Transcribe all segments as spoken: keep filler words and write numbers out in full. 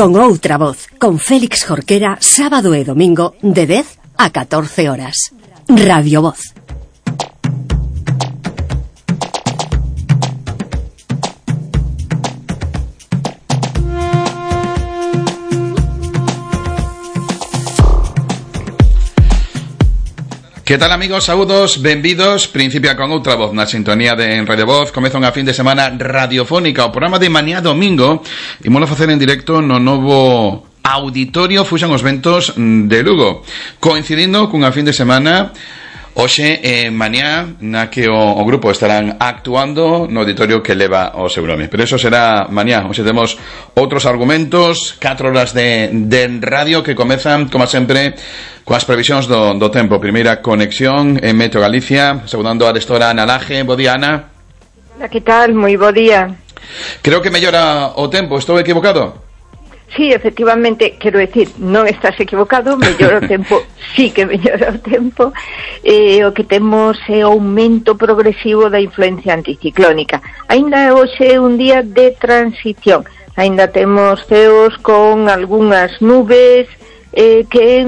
con outra voz, con Félix Jorquera, sábado e domingo de dez a catorce horas. Radio Voz. Que tal, amigos? Saúdos, benvidos. Principia con outra voz na sintonía de Radio Voz. Comeza unha fin de semana radiofónica, o programa de mañá domingo. Imolo facer en directo no novo Auditorio Fuxan os Ventos de Lugo, coincidindo cunha fin de semana hoxe e mañá na que o, o grupo estarán actuando no auditorio que leva o seu nome. Pero eso será mañá. Hoxe temos outros argumentos, catro horas de, de radio que comezan, como sempre, coas previsións do, do tempo. Primeira conexión en Meteo Galicia, saudando a gestora Ana Laje. Bo día, Ana. Hola, que tal? Moi bo día. Creo que mellora o tempo, estou equivocado? Sí, efectivamente, quero decir, non estás equivocado, mellora o tempo, sí que mellora o tempo. Eh, o que temos é o aumento progresivo da influencia anticiclónica. Ainda hoxe é un día de transición, ainda temos ceos con algunhas nubes eh, que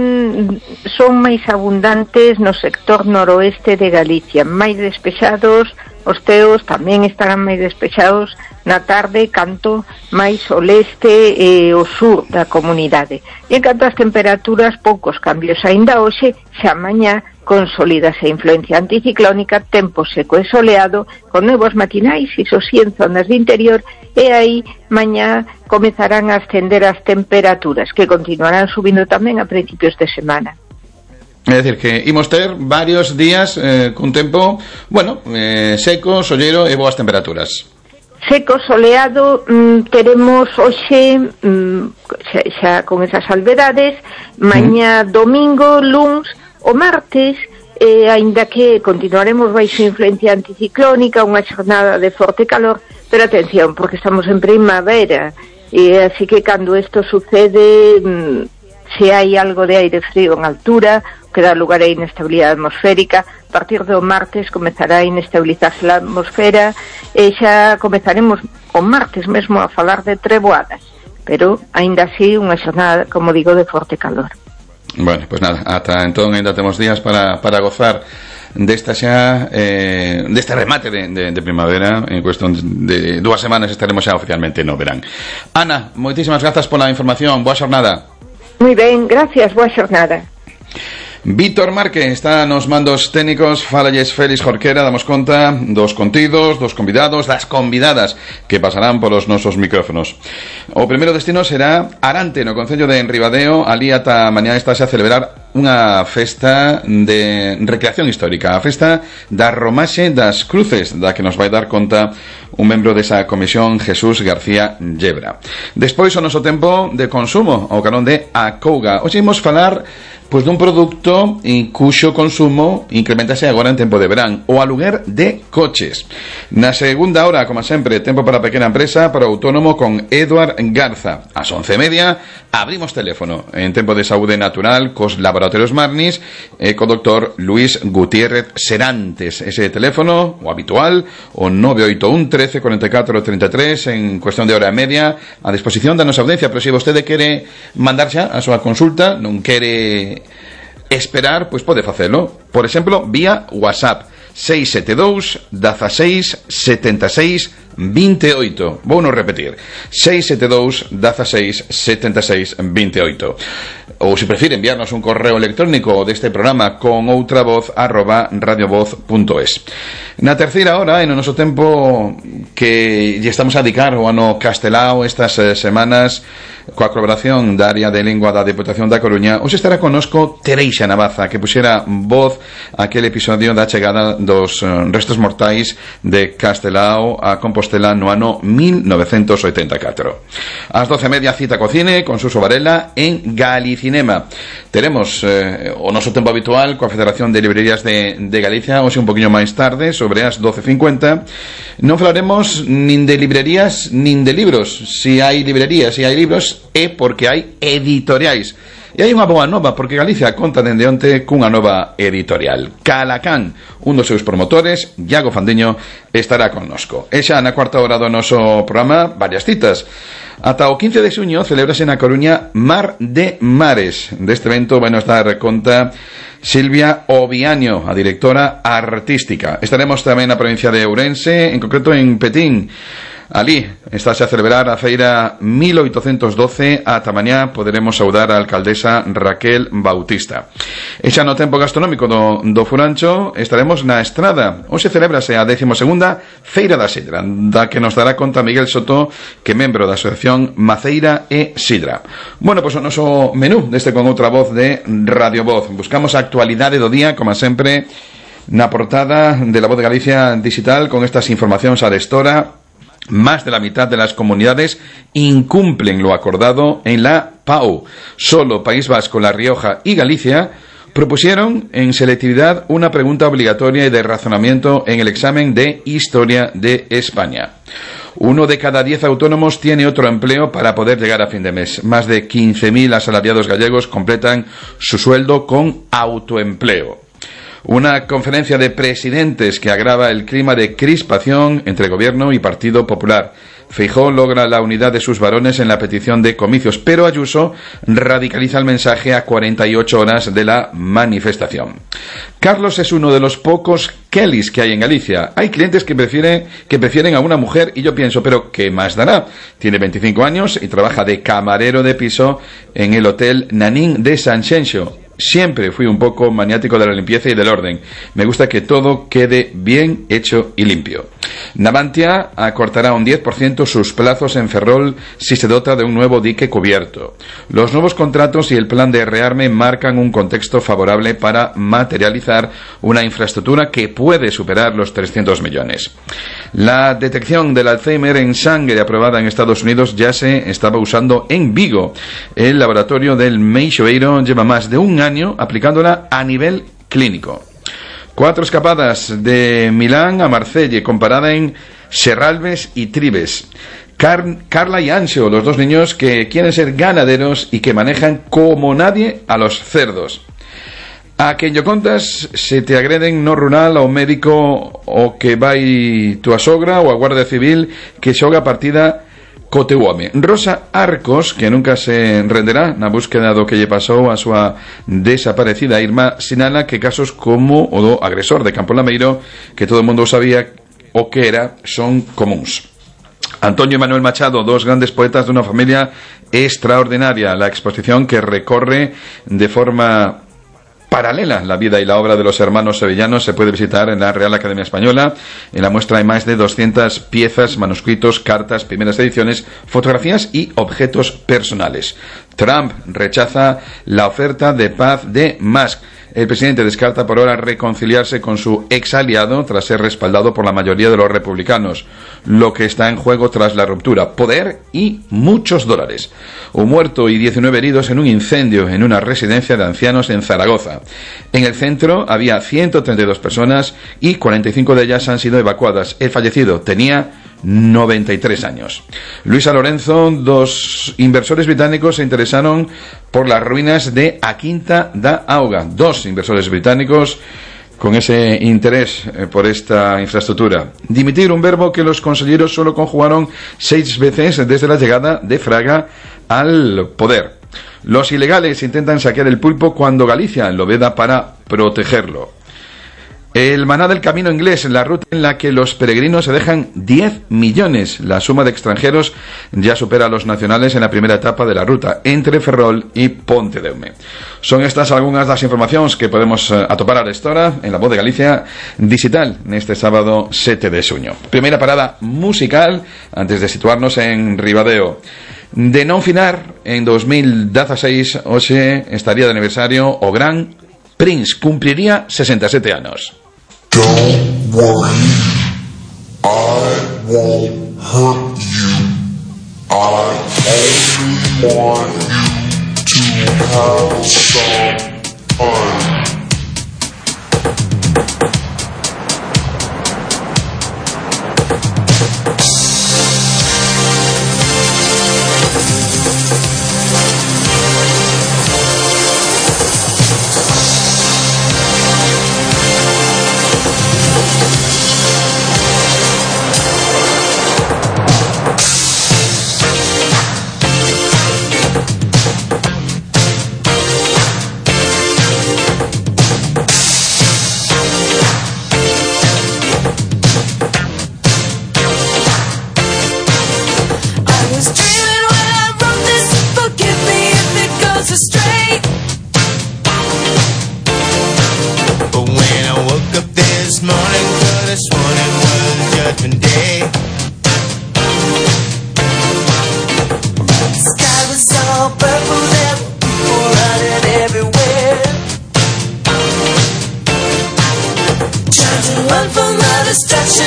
son máis abundantes no sector noroeste de Galicia, máis despexados. Os ceos tamén estarán máis despexados na tarde, canto máis o leste e o sur da comunidade. E en canto ás temperaturas, poucos cambios. Ainda hoxe, xa mañá, consolidase a influencia anticiclónica, tempo seco e soleado, con novos matinais, iso sí, en zonas de interior, e aí mañá comezarán a ascender as temperaturas, que continuarán subindo tamén a principios de semana. É dicir, que imos ter varios días eh, cun tempo, bueno, eh, seco, sollero e boas temperaturas. Seco, soleado, mm, teremos hoxe, mm, xa, xa con esas salvedades, mañá mm. domingo, luns, o martes, eh, aínda que continuaremos baixo influencia anticiclónica, unha xornada de forte calor, pero atención, porque estamos en primavera, e así que cando isto sucede, mm, se hai algo de aire frío en altura, que dá lugar a inestabilidade atmosférica, a partir do martes comezará a inestabilizarse a atmosfera e xa comezaremos o martes mesmo a falar de treboadas, pero aínda así unha xornada, como digo, de forte calor. Bueno, pues nada, ata entón ainda temos días para, para gozar desta xa eh, deste remate de, de, de primavera. En cuestión de dúas semanas estaremos xa oficialmente no verán. Ana, moitísimas grazas pola información, boa xornada. Moi ben, gracias, boa xornada. Víctor Márquez está nos mandos técnicos. Falalles Félix Jorquera, damos conta dos contidos, dos convidados, das convidadas que pasarán polos nosos micrófonos. O primeiro destino será Arante, no concello de Enribadeo. Ali ata mañá estáse a celebrar unha festa de recreación histórica, a festa da Romaxe das Cruces, da que nos vai dar conta un membro desa comisión, Jesús García Llebra. Despois o noso tempo de consumo, ao carón de Acouga. Hoxe imos falar pois dun produto en cuxo consumo incrementase agora en tempo de verán, o aluguer de coches. Na segunda hora, como sempre, tempo para a pequena empresa, para o autónomo con Eduard Garza. Ás once e media abrimos teléfono en tempo de saúde natural cos laboratorios Marnis e co doctor Luis Gutiérrez Serantes. Ese teléfono, o habitual, o nove oito un, trece, cuarenta e catro, treinta e tres, en cuestión de hora e media a disposición da nosa audiencia. Pero se vostede quere mandar xa a súa consulta, non quere esperar, pois pode facelo. Por exemplo, vía WhatsApp seis sete dous, dezasseis, setenta e seis, vinte e oito. Vou non repetir, seis sete dous, dezasseis, setenta e seis, vinte e oito. Ou se prefire enviarnos un correo electrónico deste programa con outra voz arroba radiovoz punto es. Na terceira hora, en o noso tempo que lle estamos a dedicar ao ano castelao estas eh, semanas, coa colaboración da área de lingua da Deputación da Coruña, hoxe estará conosco Tereixa Navaza, que puxera voz aquel episodio da chegada dos uh, restos mortais de Castelao a Compostela no ano mil novecentos oitenta e catro. Ás doce e media, cita co cine con Suso Varela en Galicinema. Teremos eh, o noso tempo habitual coa Federación de Librerías de, de Galicia, hoxe un poquinho máis tarde, sobre as doce e cincuenta. Non falaremos nin de librerías nin de libros. Si hai librerías, si hai libros, é porque hai editoriais. E hai unha boa nova, porque Galicia conta dende onte cunha nova editorial. Calacán, un dos seus promotores, Iago Fandiño, estará connosco. E xa na cuarta hora do noso programa, varias citas. Ata o quince de xuño celebrase na Coruña Mar de Mares. Deste evento vai nos dar conta Silvia Oviaño, a directora artística. Estaremos tamén na provincia de Ourense, en concreto en Petín. Alí estáse a celebrar a feira mil oitocentos doce. Ata mañá poderemos saudar a alcaldesa Raquel Bautista. E xa no tempo gastronómico do, do Furancho estaremos na Estrada. Hoxe celébrase a décima segunda Feira da Sidra, da que nos dará conta Miguel Soto, que é membro da Asociación Maceira e Sidra. Bueno, pois o noso menú deste con outra voz de Radio Voz. Buscamos a actualidade do día, como sempre, na portada de La Voz de Galicia Digital, con estas informacións arestora. Más de la mitad de las comunidades incumplen lo acordado en la P A U. Solo País Vasco, La Rioja y Galicia propusieron en selectividad una pregunta obligatoria y de razonamiento en el examen de Historia de España. Uno de cada diez autónomos tiene otro empleo para poder llegar a fin de mes. Más de quince mil asalariados gallegos completan su sueldo con autoempleo. Una conferencia de presidentes que agrava el clima de crispación entre Gobierno y Partido Popular. Feijóo logra la unidad de sus varones en la petición de comicios, pero Ayuso radicaliza el mensaje a cuarenta y ocho horas de la manifestación. Carlos es uno de los pocos Kellys que hay en Galicia. Hay clientes que prefieren, que prefieren a una mujer y yo pienso, pero ¿qué más dará? Tiene veinticinco años y trabaja de camarero de piso en el Hotel Nanín de Sanxenxo. Siempre fui un poco maniático de la limpieza y del orden. Me gusta que todo quede bien hecho y limpio. Navantia acortará un diez por ciento sus plazos en Ferrol si se dota de un nuevo dique cubierto. Los nuevos contratos y el plan de rearme marcan un contexto favorable para materializar una infraestructura que puede superar los trescientos millones. La detección del Alzheimer en sangre aprobada en Estados Unidos ya se estaba usando en Vigo. El laboratorio del Meixoeiro lleva más de un año aplicándola a nivel clínico. Cuatro escapadas de Milán a Marsella, comparada en Serralves y Tribes. Car- Carla y Anxo, los dos niños que quieren ser ganaderos y que manejan como nadie a los cerdos. A quen yo contas se te agreden no rural ao médico o que vai tua sogra ou a Guardia Civil que xoga partida co teu home. Rosa Arcos, que nunca se renderá na búsqueda do que lle pasou a súa desaparecida Irma, sinala que casos como o do agresor de Campo Lameiro, que todo o mundo sabía o que era, son comuns. Antonio y Manuel Machado, dos grandes poetas de una familia extraordinaria. La exposición que recorre de forma paralela la vida y la obra de los hermanos sevillanos se puede visitar en la Real Academia Española. En la muestra hay más de doscientas piezas, manuscritos, cartas, primeras ediciones, fotografías y objetos personales. Trump rechaza la oferta de paz de Musk. El presidente descarta por ahora reconciliarse con su ex aliado tras ser respaldado por la mayoría de los republicanos. Lo que está en juego tras la ruptura: poder y muchos dólares. Un muerto y diecinueve heridos en un incendio en una residencia de ancianos en Zaragoza. En el centro había ciento treinta y dos personas y cuarenta y cinco de ellas han sido evacuadas. El fallecido tenía noventa y tres años. Luisa Lorenzo, dos inversores británicos se interesaron por las ruinas de A Quinta da Auga. Dos inversores británicos con ese interés eh, por esta infraestructura. Dimitir, un verbo que los consejeros solo conjugaron seis veces desde la llegada de Fraga al poder. Los ilegales intentan saquear el pulpo cuando Galicia lo veda para protegerlo. El maná del camino inglés, la ruta en la que los peregrinos se dejan diez millones. La suma de extranjeros ya supera a los nacionales en la primera etapa de la ruta, entre Ferrol y Pontedeume. Son estas algunas das informacións que podemos uh, atopar a esta hora en La Voz de Galicia Digital neste sábado sete de xuño. Primeira parada musical antes de situarnos en Ribadeo. De non finar, en dos mil dieciséis hoxe estaría de aniversario o gran Prince, cumpliría sesenta y siete anos. Don't worry, I won't hurt you. I only want you to have some fun.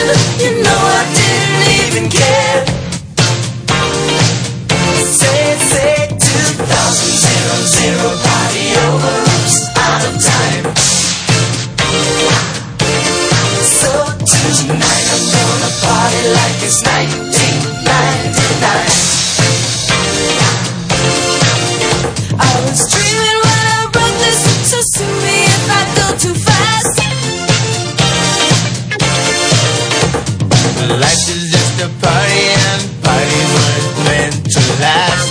You know I didn't even care. Say, say, two thousand, zero, zero, party over, oops, out of time. So tonight I'm gonna party like it's nineteen ninety-nine. I was dreaming when I wrote this, so sue me if I go too fast. Life is just a party and parties weren't meant to last.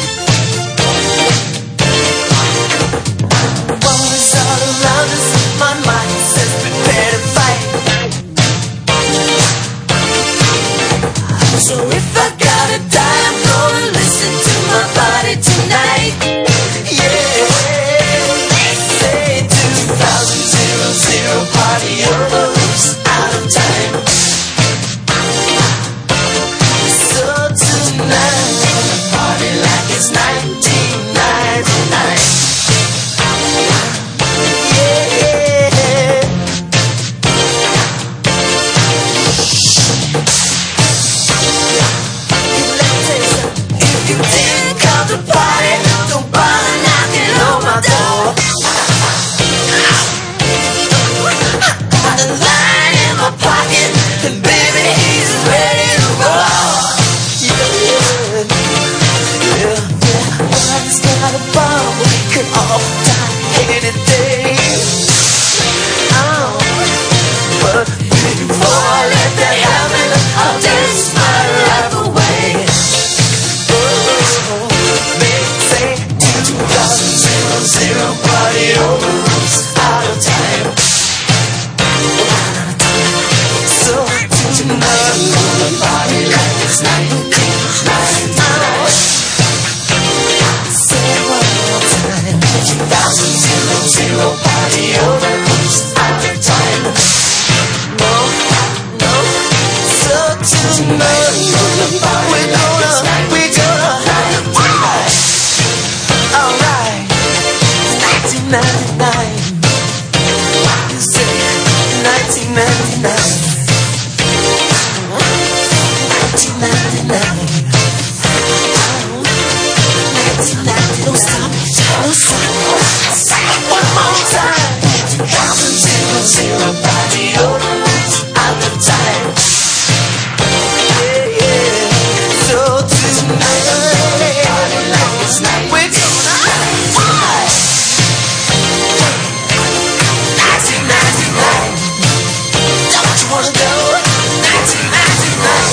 War is all around us, my mind says prepare to fight. So if I gotta die, I'm gonna listen to my body tonight. Yeah, say two thousand, zero, zero, party over, oops, out of time. So tonight I'm gonna party like it's nineteen ninety-nine. Yeah. If you didn't come to party, don't bother knocking on my door. Got a line in my pocket, and baby, he's ready to roll. Yeah, yeah, yeah, yeah. Body's got a bomb, we could all die any day. Oh, but before I let that happen, I'll dance my life away. Oh, they say two thousand, zero, zero, party over, oops, out of time. So tonight I'm gonna party like it's nineteen ninety-nine. Say it one more time. two thousand, zero, zero, party over, oops, out of time. No, no. So tonight I'm gonna party like it's nineteen ninety-nine. Alright, nineteen ninety-nine. You say nineteen ninety-nine. nineteen ninety-nine. nineteen ninety-nine. Don't stop, don't stop. Say it one more time. two thousand, zero, zero, party over, out of time. Yeah, yeah. So tonight I'm gonna party like it's night. We're gonna fly. nineteen ninety-nine. Don't you wanna go? nineteen ninety-nine.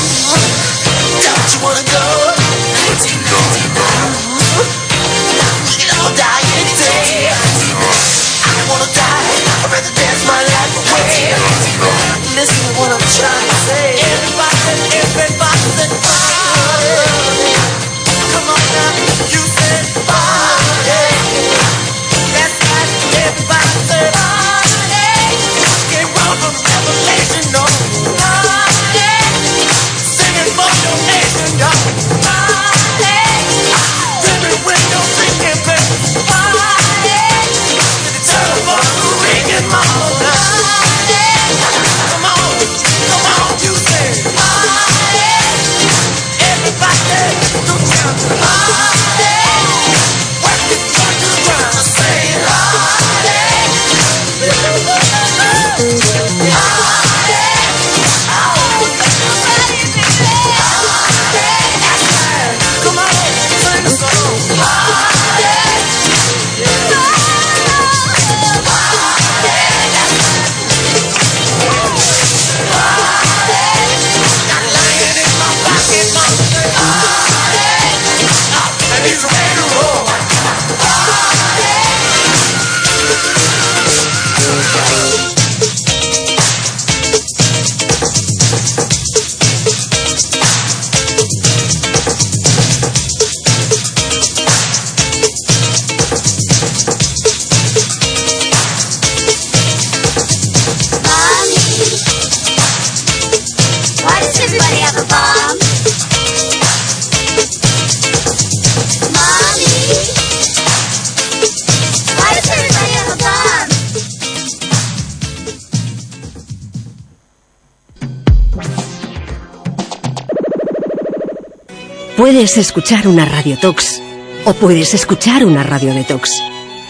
Puedes escuchar una radiotox o puedes escuchar una radio detox,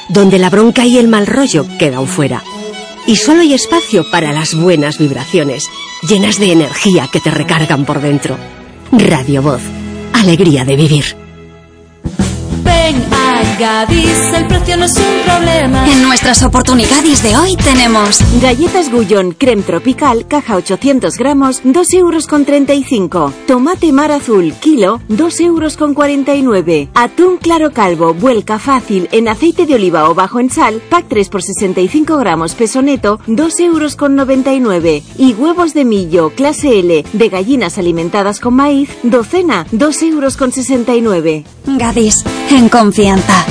donde la bronca y el mal rollo quedan fuera. Y solo hay espacio para las buenas vibraciones, llenas de energía que te recargan por dentro. Radio Voz, alegría de vivir. Ven a Gadis, el precio no es un problema. En nuestras oportunidades de hoy tenemos galletas Gullón creme tropical, caja ochocientos gramos, dos euros con treinta y cinco. Tomate mar azul, kilo, dos euros con cuarenta y nueve. Atún claro calvo, vuelca fácil, en aceite de oliva o bajo en sal, pack tres por sesenta y cinco gramos, peso neto, dos euros con noventa y nueve. Y huevos de millo, clase L, de gallinas alimentadas con maíz, docena, dos euros con sesenta y nueve. Gadis, en confianza.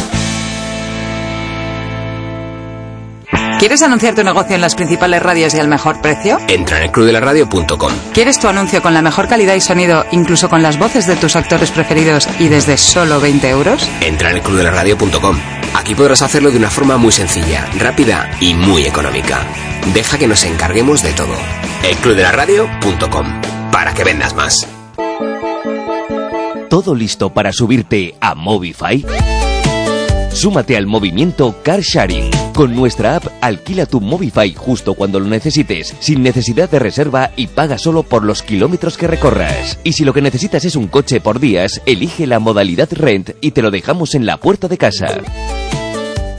¿Quieres anunciar tu negocio en las principales radios y al mejor precio? Entra en el club de la radio punto com. ¿Quieres tu anuncio con la mejor calidad y sonido, incluso con las voces de tus actores preferidos y desde solo veinte euros? Entra en el club de la radio punto com. Aquí podrás hacerlo de una forma muy sencilla, rápida y muy económica. Deja que nos encarguemos de todo. el club de la radio punto com. Para que vendas más. ¿Todo listo para subirte a Movify? Súmate al movimiento Car Sharing. Con nuestra app, alquila tu Movify justo cuando lo necesites, sin necesidad de reserva y paga solo por los kilómetros que recorras. Y si lo que necesitas es un coche por días, elige la modalidad Rent y te lo dejamos en la puerta de casa.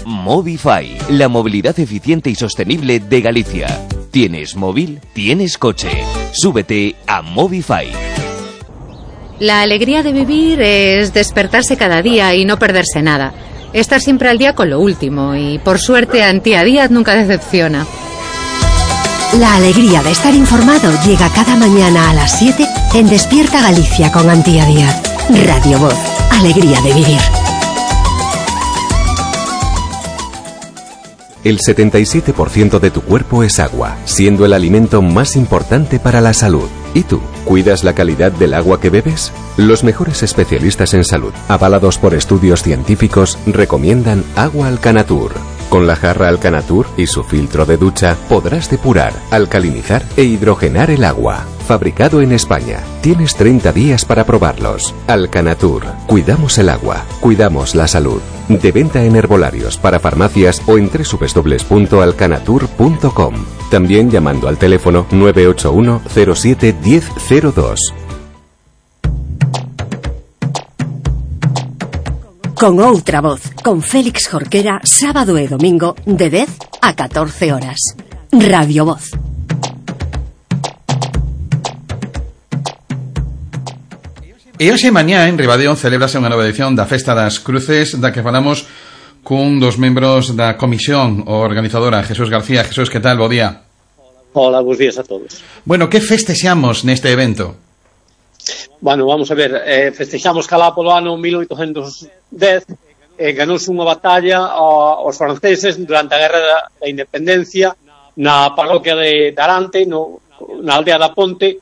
Movify, la movilidad eficiente y sostenible de Galicia. ¿Tienes móvil? ¿Tienes coche? Súbete a Movify. La alegría de vivir es despertarse cada día y no perderse nada. Estar siempre al día con lo último y, por suerte, Antía Díaz nunca decepciona. La alegría de estar informado llega cada mañana a las siete en Despierta Galicia con Antía Díaz. Radio Voz, alegría de vivir. El setenta y siete por ciento de tu cuerpo es agua, siendo el alimento más importante para la salud. ¿Y tú? ¿Cuidas la calidad del agua que bebes? Los mejores especialistas en salud, avalados por estudios científicos, recomiendan agua Alcanatur. Con la jarra Alcanatur y su filtro de ducha podrás depurar, alcalinizar e hidrogenar el agua. Fabricado en España. Tienes treinta días para probarlos. Alcanatur. Cuidamos el agua. Cuidamos la salud. De venta en herbolarios, para farmacias o en doble u doble u doble u punto alcanatur punto com. También llamando al teléfono nueve ocho uno cero siete uno cero cero dos. Con outra voz, con Félix Jorquera, sábado e domingo, de dez a catorce horas. Radio Voz. E hoxe mañá en Ribadeo celebrase unha nova edición da Festa das Cruces, da que falamos cun dos membros da comisión organizadora, Jesús García. Jesús, que tal? Bo día. Hola, bons días a todos. Bueno, que festexamos neste evento? Bueno, vamos a ver, eh, festexamos calá polo ano mil oitocentos dez, eh, ganouse unha batalla aos franceses durante a Guerra da, da Independencia na parroquia de Darante, no, na aldea da Ponte,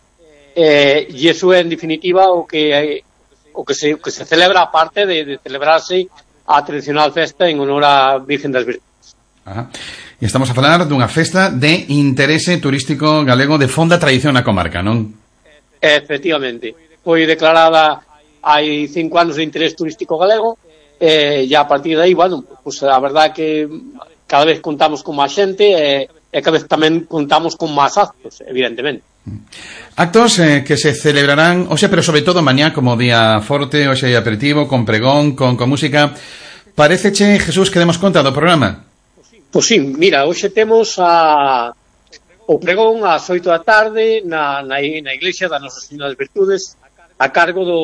eh, e iso é en definitiva o que eh, o que se, o que se celebra, aparte de, de celebrarse a tradicional festa en honor a Virgen das Virtudes. Ajá. E estamos a falar dunha festa de interese turístico galego de fonda tradición na comarca, non? Efectivamente. Foi declarada hai cinco anos de interés turístico galego, e eh, a partir de aí, bueno, pues a verdade que cada vez contamos con máis xente e, e cada vez tamén contamos con máis actos, evidentemente. Actos eh, que se celebrarán, o sea, pero sobre todo mañá como día forte, o sea, aperitivo, con pregón, con, con música. Paréceche, Jesús, que demos conta do programa? Pois sí, mira, hoxe temos a o pregón ás oito da tarde na, na, na iglesia da Nosa Señora das Virtudes, a cargo do,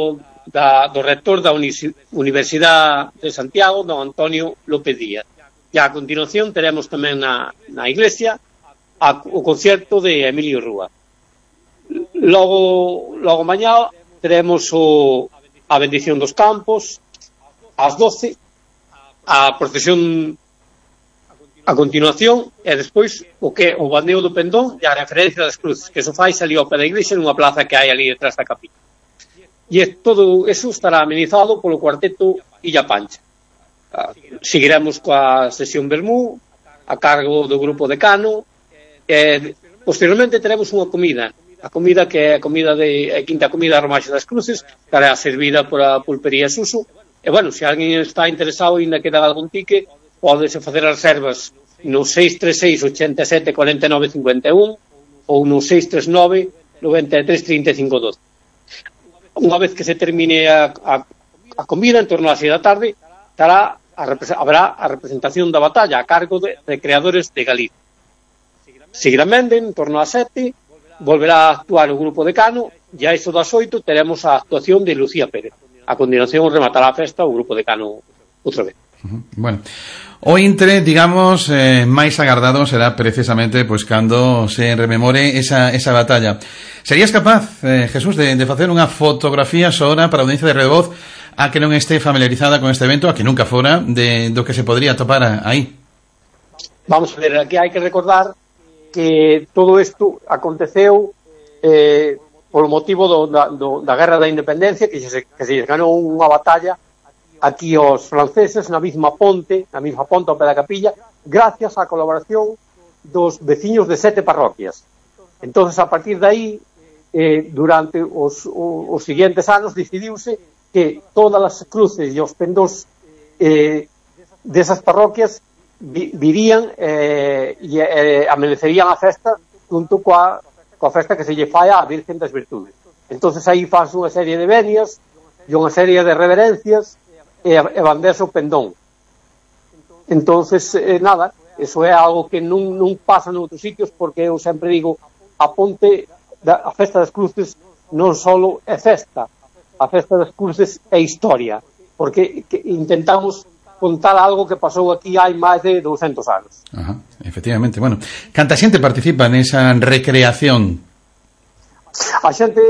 da, do rector da Universidade de Santiago, don Antonio López Díaz. E a continuación teremos tamén na, na iglesia a, o concerto de Emilio Rúa. Logo, logo mañá teremos o, a bendición dos campos ás doce, a procesión a continuación, e despois o que o bandeo do pendón e a referencia das cruces, que eso fai ali ao pé da iglesia nunha plaza que hai ali detrás da capilla. E todo eso estará amenizado polo cuarteto Illa Pancha. Seguiremos coa sesión Bermú a cargo do grupo Decano, e posteriormente teremos unha comida a comida, que é a comida de a quinta comida a Romaxe das Cruces, que é servida por a pulpería Suso. E, bueno, se alguén está interesado e ainda queda algún tique, pódese facer as reservas no seis tres seis, oito sete, cuatro nove cinco un ou no seis tres nove, nove tres, tres cinco doce. Unha vez que se termine a, a, a comida, en torno a seis da tarde, estará a, habrá a representación da batalla a cargo de, de creadores de Galicia. Seguidamente, en torno a sete, volverá a actuar o grupo de Cano, e a iso das oito teremos a actuación de Lucía Pérez. A continuación rematará a festa o grupo de Cano outra vez. Bueno, o intre, digamos, eh, máis agardado será precisamente pois cando se rememore esa, esa batalla. Serías capaz, eh, Jesús, de, de facer unha fotografía sora para a audiencia de Revoz a que non este familiarizada con este evento, a que nunca fora, de do que se podría topar aí? Vamos a ver, aquí hai que recordar que todo isto aconteceu eh, polo motivo do, da, do, da Guerra da Independencia, que se, que se ganou unha batalla aquí aos franceses na mesma ponte, na mesma ponte ao pé da capilla, gracias á colaboración dos veciños de sete parroquias. Entonces, a partir de aí, eh, durante os, os, os seguintes anos, decidiuse que todas as cruces e os pendós eh, desas parroquias vi, virían eh, e eh, amanecerían a festa junto coa, coa festa que se lle fai á Virgen das Virtudes. Entonces, aí faz unha serie de venias e unha serie de reverencias e, e bandese o pendón. Entonces, eh, nada, eso é algo que non, non pasa noutros sitios, porque eu sempre digo, a ponte, da, a festa das cruces non só é festa, a festa das cruces é historia, porque que intentamos contar algo que pasou aquí hai máis de douscentos anos. Ajá, efectivamente. Bueno, canta xente participa nesa recreación? A xente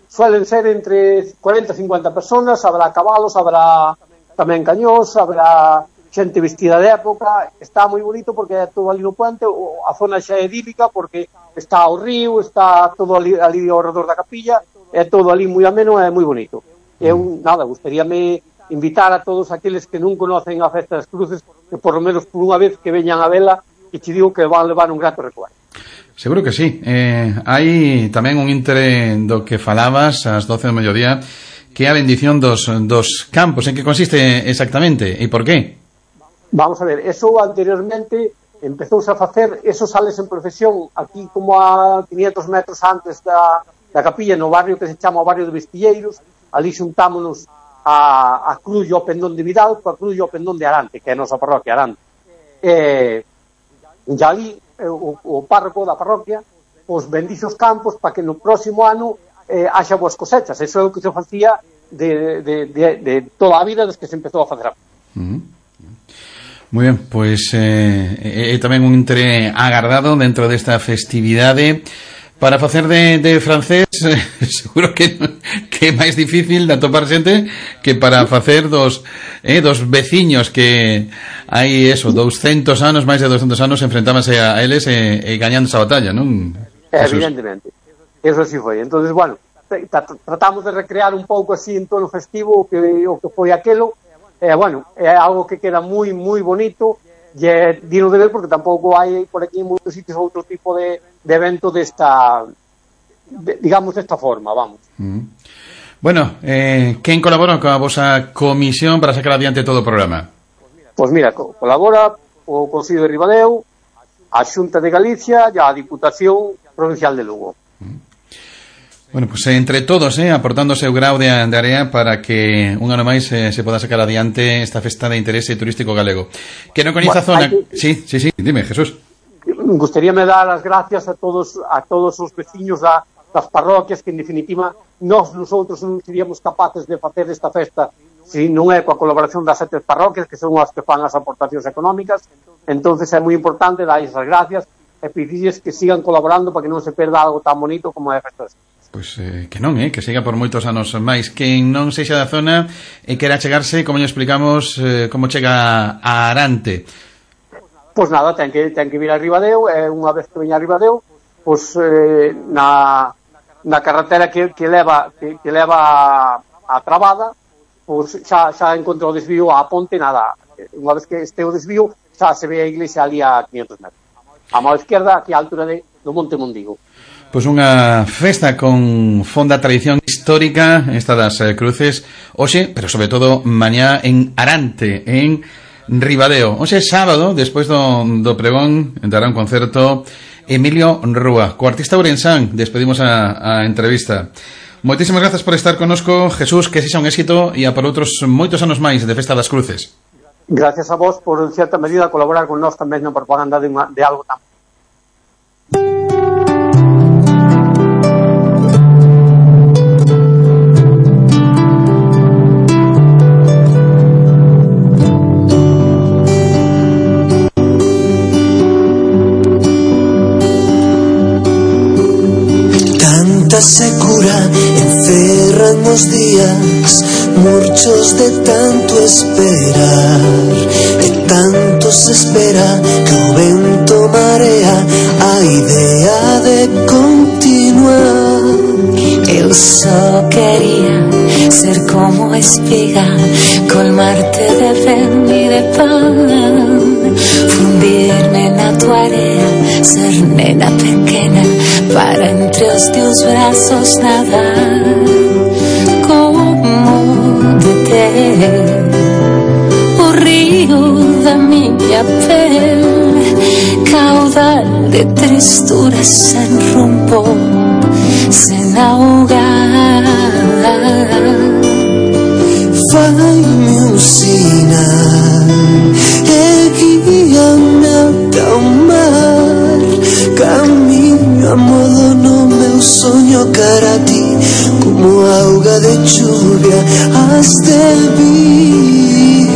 suelen ser entre cuarenta e cincuenta personas, habrá cabalos, habrá tamén cañós, habrá xente vestida de época, está moi bonito porque é todo ali no puente, a zona xa é idílica porque está o río, está todo ali, ali ao redor da capilla, é todo ali moi ameno e moi bonito. Eu, nada, gustaríame invitar a todos aqueles que non conocen a Festa das Cruces, que por lo menos por unha vez que veñan a vela, e te digo que van levar un grato recuerdo. Seguro que sí. Eh, hai tamén un intre do que falabas ás doce do mediodía, que é a bendición dos, dos campos. En que consiste exactamente e por qué? Vamos a ver, eso anteriormente empezouse a facer, eso sales en procesión aquí como a quinientos metros antes da, da capilla, no barrio que se chama o barrio de Vestilleiros. Ali xuntámonos a, a cruz e o pendón de Vidal coa cruz e o pendón de Arante, que é a nosa parroquia Arante. E, e ali o, o párroco da parroquia pois bendixe os campos para que no próximo ano eh, haxa boas cosechas. Eso é o que se facía de, de, de, de toda a vida desde que se empezou a facer. Uh-huh. Moi ben, pois eh, é tamén un intre agardado dentro desta festividade. Para facer de, de francés eh, seguro que, que é máis difícil de atopar xente que para facer dos, eh, dos veciños que hai eso, douscentos anos, máis de douscentos anos enfrentábanse a eles e, e gañando esa batalla, non? Evidentemente, eso sí foi. Entonces, bueno, tratamos de recrear un pouco así en tono festivo o que, o que foi aquelo. Eh, bueno, é algo que queda moi, moi bonito e é digno de ver porque tampouco hai por aquí en moitos sitios outro tipo de, de evento desta, de, digamos, desta forma, vamos. Mm. Bueno, eh, quen colabora coa vosa comisión para sacar adiante todo o programa? Pois mira, co colabora o Consello de Ribadeo, a Xunta de Galicia e a Diputación Provincial de Lugo. Mm. Bueno, pues entre todos, eh, aportando o seu grau de, de área para que un ano máis eh, se poda sacar adiante esta festa de interese turístico galego. Que non coñece a zona... Que... Sí, sí, sí, dime, Jesús. Gustaríame dar as gracias a todos a todos os veciños da, das parroquias que, en definitiva, nós nosotros non seríamos capaces de facer esta festa se non é coa colaboración das sete parroquias, que son as que fan as aportacións económicas. Entonces é moi importante dar esas gracias e pedirles que sigan colaborando para que non se perda algo tan bonito como é a festa desta. Pois eh, que non, eh, que siga por moitos anos máis. Quen non sexa da zona e quera chegarse, como lle explicamos, eh, como chega a Arante. Pois nada, ten que, ten que vir a Ribadeo, e unha vez que veña a Ribadeo, pois eh, na, na carretera que, que leva que, que leva a, a Trabada, pois xa, xa encontra o desvío á ponte, nada. Unha vez que este o desvío, xa se ve a iglesia ali a quinientos metros. A mão esquerda, aquí á altura de, do Monte Mondigo. Pois unha festa con fonda tradición histórica, esta das eh, cruces, hoxe, pero sobre todo mañá en Arante, en Ribadeo. Hoxe sábado, despois do, do pregón, dará un concerto Emilio Rúa, co artista ourensán. Despedimos a, a entrevista. Moitísimas grazas por estar connosco, Jesús, que sexa un éxito e a por outros moitos anos máis de Festa das Cruces. Gracias a vos por, en cierta medida, colaborar con nós tamén na propaganda de, unha, de algo tan... Tanta secura encerran os días, murchos de tanto esperar, e tanto se espera que o vento marea a idea de continuar. Eu só quería ser como espiga, colmarte de ven y de pan, fundirme na tua area, ser nena pequena para entre os teus brazos nadar, como deter o río da miña pel, caudal de tristuras sen rumbo, sen ahogar. Fai-me un sinal e guíame ata o mar, camiño a modo no meu soño cara a ti, como auga de chuvia has de vir.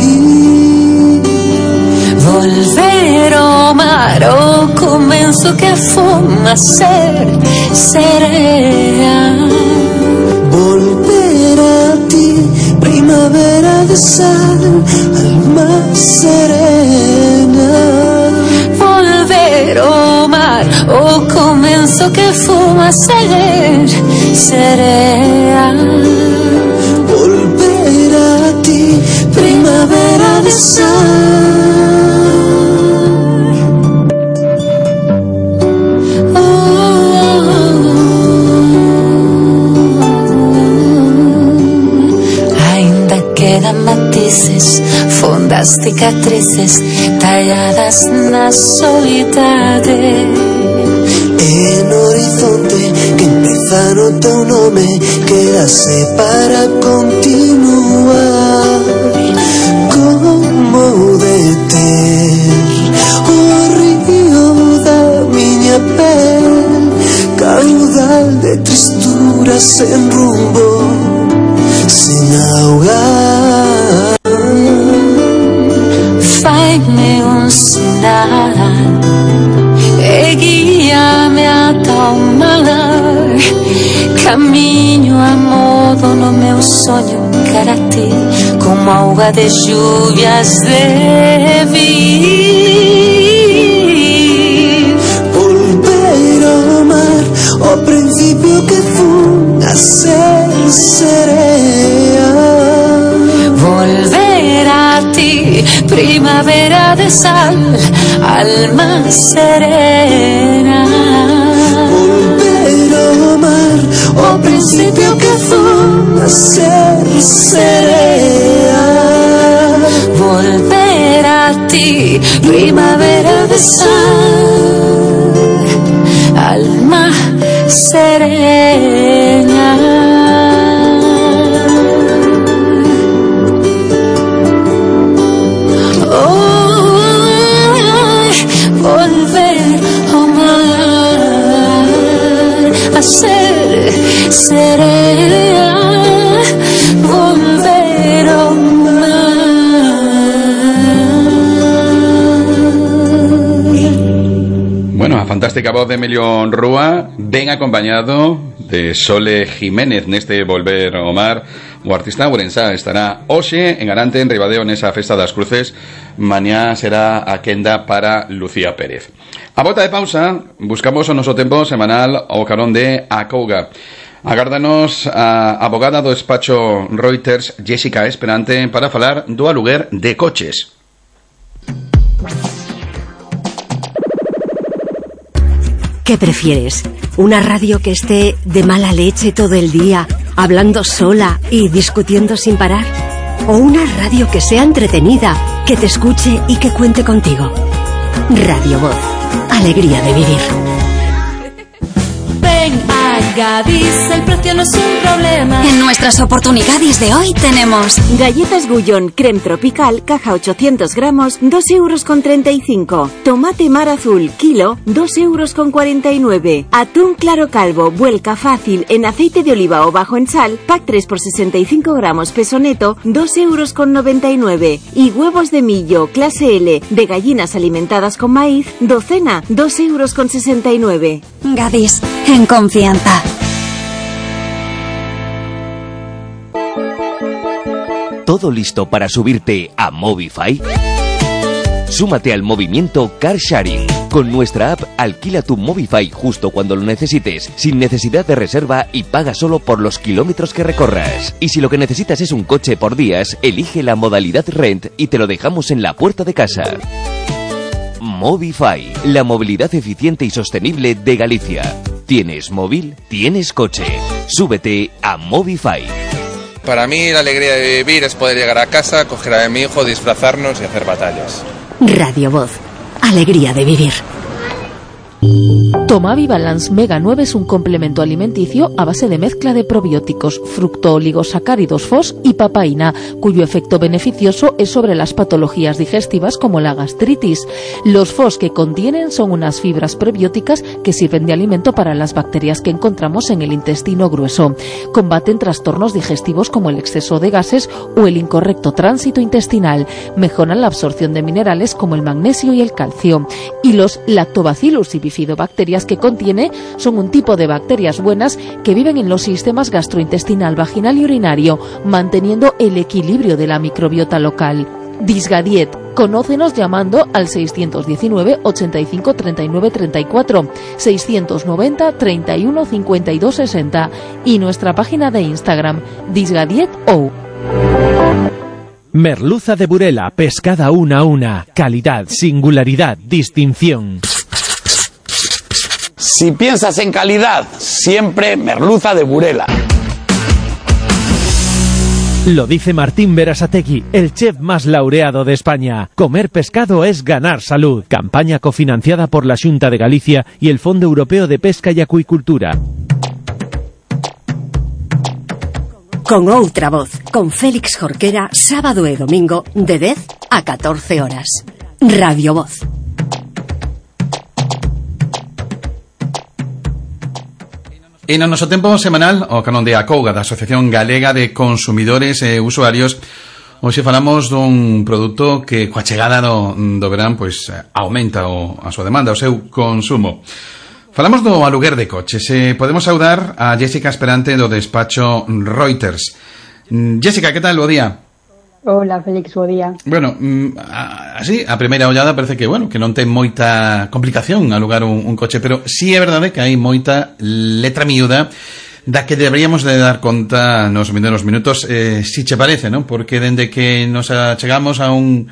Volver ao mar, o comenzo que foma ser serea. Volver a ti, primavera de sal, alma serena. Volver ao mar, o comenzo que foma ser serea. Volver a ti, primavera de sal. Quedan matices, fondas cicatrices talladas na soidade. En horizonte que empeza no teu nome, quedase para continuar. Como deter o río da miña pel, caudal de tristuras sen rumbo, sin ahogar. Fai-me un sinal e guíame ata o mar, camiño a modo no meu soño cara a ti, como auga de lluvias de vir. Volver ao mar, o principio que fun a ser serea. Volver a ti, primavera de sal, alma serena. Volver ao mar, o principio que fun a ser serea. Volver a ti, primavera de sal, alma serena. Ser serea, volver ao mar. Bueno, a fantástica voz de Emilio Rúa, ben acompañado de Sole Jiménez neste Volver ao Mar. O artista ourensá estará hoxe en Arante, en Ribadeo, nesa Festa das Cruces. Mañá será a quenda para Lucía Pérez. A volta de pausa, buscamos o noso tempo semanal ao carón de Acouga. Agárdanos a abogada do despacho Reuters, Jessica Esperante, para falar do aluguer de coches. ¿Qué prefieres? Una radio que esté de mala leche todo el día, hablando sola y discutiendo sin parar. O una radio que sea entretenida, que te escuche y que cuente contigo. Radio Voz. Alegría de vivir. Ven a Gadis, el precio no es un problema. En nuestras oportunidades de hoy tenemos galletas Gullón creme tropical, caja ochocientos gramos, dos euros con treinta y cinco. Tomate mar azul, kilo, dos euros con cuarenta y nueve. Atún claro calvo, vuelca fácil en aceite de oliva o bajo en sal, pack tres por sesenta y cinco gramos, peso neto, dos euros con noventa y nueve. Y huevos de millo, clase L, de gallinas alimentadas con maíz, docena, dos euros con sesenta y nueve. Gadis, en confianza. ¿Todo listo para subirte a Movify? Súmate al movimiento Car Sharing. Con nuestra app, alquila tu Movify justo cuando lo necesites, sin necesidad de reserva y paga solo por los kilómetros que recorras. Y si lo que necesitas es un coche por días, elige la modalidad Rent y te lo dejamos en la puerta de casa. Movify, la movilidad eficiente y sostenible de Galicia. ¿Tienes móvil? ¿Tienes coche? Súbete a Movify. Para mí la alegría de vivir es poder llegar a casa, coger a mi hijo, disfrazarnos y hacer batallas. Radio Voz. Alegría de vivir. Tomavi Balance Mega nueve es un complemento alimenticio a base de mezcla de probióticos, fructooligosacáridos F O S y papaína, cuyo efecto beneficioso es sobre las patologías digestivas como la gastritis. Los F O S que contienen son unas fibras prebióticas que sirven de alimento para las bacterias que encontramos en el intestino grueso. Combaten trastornos digestivos como el exceso de gases o el incorrecto tránsito intestinal. Mejoran la absorción de minerales como el magnesio y el calcio. Y los lactobacillus y bifidobacterias que contiene son un tipo de bacterias buenas que viven en los sistemas gastrointestinal, vaginal y urinario, manteniendo el equilibrio de la microbiota local. Disgadiet. Conócenos llamando al seiscientos diecinueve, ochenta y cinco, treinta y nueve, treinta y cuatro, seiscientos noventa, treinta y uno, cincuenta y dos, sesenta y nuestra página de Instagram, disgadietou. Merluza de Burela, pescada una a una, calidad, singularidad, distinción. Si piensas en calidad, siempre merluza de Burela. Lo dice Martín Berasategui, el chef más laureado de España. Comer pescado es ganar salud. Campaña cofinanciada por la Xunta de Galicia y el Fondo Europeo de Pesca y Acuicultura. Con outra voz, con Félix Jorquera, sábado e domingo, de dez a catorce horas. Radio Voz. E no noso tempo semanal, o canon de Acouga, da Asociación Galega de Consumidores e Usuarios, hoxe falamos dun produto que coa chegada do, do verán pois aumenta o, a súa demanda, o seu consumo. Falamos do aluguer de coches. Eh, podemos saudar a Jessica Esperante do despacho Reuters. Jessica, que tal? Bo día. Hola, Félix, bo día. Bueno, así, a primeira ollada parece que, bueno, que non ten moita complicación alugar un, un coche, pero sí é verdade que hai moita letra miúda da que deberíamos de dar conta nos vindeiros minutos, eh, si che parece, non? Porque dende que nos chegamos a un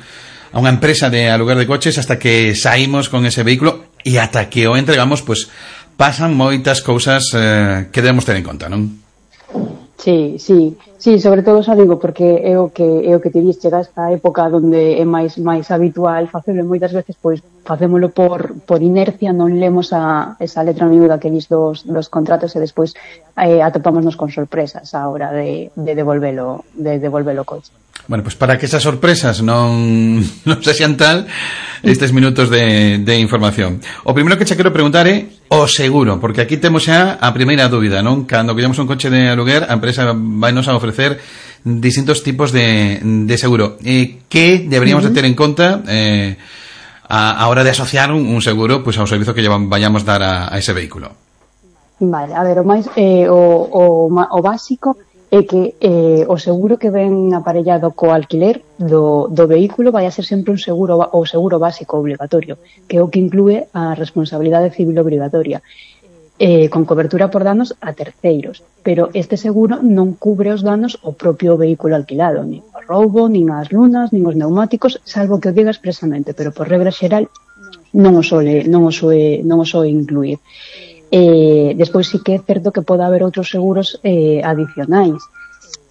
a unha empresa de aluguer de coches hasta que saímos con ese vehículo e ata que o entregamos, pues pasan moitas cousas eh, que debemos ter en conta, non? Sí, sí, sí, sobre todo xa digo porque é o que é o que te dis, chega esta época onde é máis máis habitual facelo, moitas veces pois facémolo por por inercia, non lemos a esa letra miúda que dis dos dos contratos e despois eh, atopámonos con sorpresas á hora de de devolvelo de devolvelo coche. Bueno, pues para que esas sorpresas non, non se sean tal, estes minutos de, de información. O primeiro que che quero preguntar é o seguro, porque aquí temos xa a primeira dúbida, non? Cando queremos un coche de aluguer, a empresa vai nos a ofrecer distintos tipos de, de seguro. Eh, que deberíamos uh-huh. de ter en conta eh, a, a hora de asociar un, un seguro pues, ao servizo que vayamos dar a, a ese vehículo? Vale, a ver, o máis eh, o, o, o básico é que eh, o seguro que ven aparellado co alquiler do, do vehículo vai a ser sempre un seguro, o seguro básico obligatorio, que é o que inclúe a responsabilidade civil obrigatoria, eh, con cobertura por danos a terceiros, pero este seguro non cubre os danos ao propio vehículo alquilado, nin o roubo, nin as lunas, nin os neumáticos, salvo que o diga expresamente, pero por regra xeral non o soe, non o soe, non o soe incluir. Eh, despois sí que é certo que pode haber outros seguros eh, adicionais,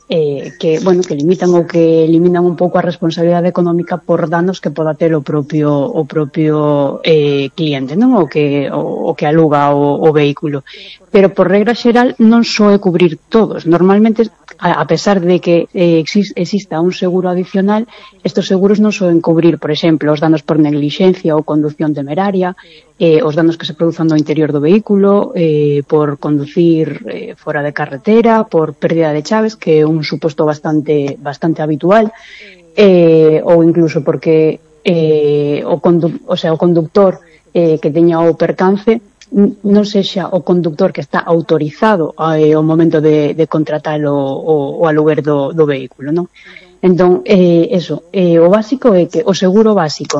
eh, que, bueno, que limitan ou que eliminan un pouco a responsabilidade económica por danos que poda ter o propio o propio eh, cliente, non? O que o, o que aluga o, o vehículo. Pero por regra xeral non só é cubrir todos. Normalmente, a, a pesar de que eh, exis, exista un seguro adicional, estos seguros non soen cubrir, por exemplo, os danos por neglixencia ou condución temeraria, eh, os danos que se produzan no interior do vehículo, eh, por conducir eh, fora de carretera, por pérdida de chaves, que é un suposto bastante bastante habitual, eh, ou incluso porque eh, o, condu o, sea, o conductor eh, que teña o percance non sexa o conductor que está autorizado eh, ao momento de, de contratar o, o, o aluguer do, do vehículo, non? Entón, eh, eso, eh, o básico é que o seguro básico,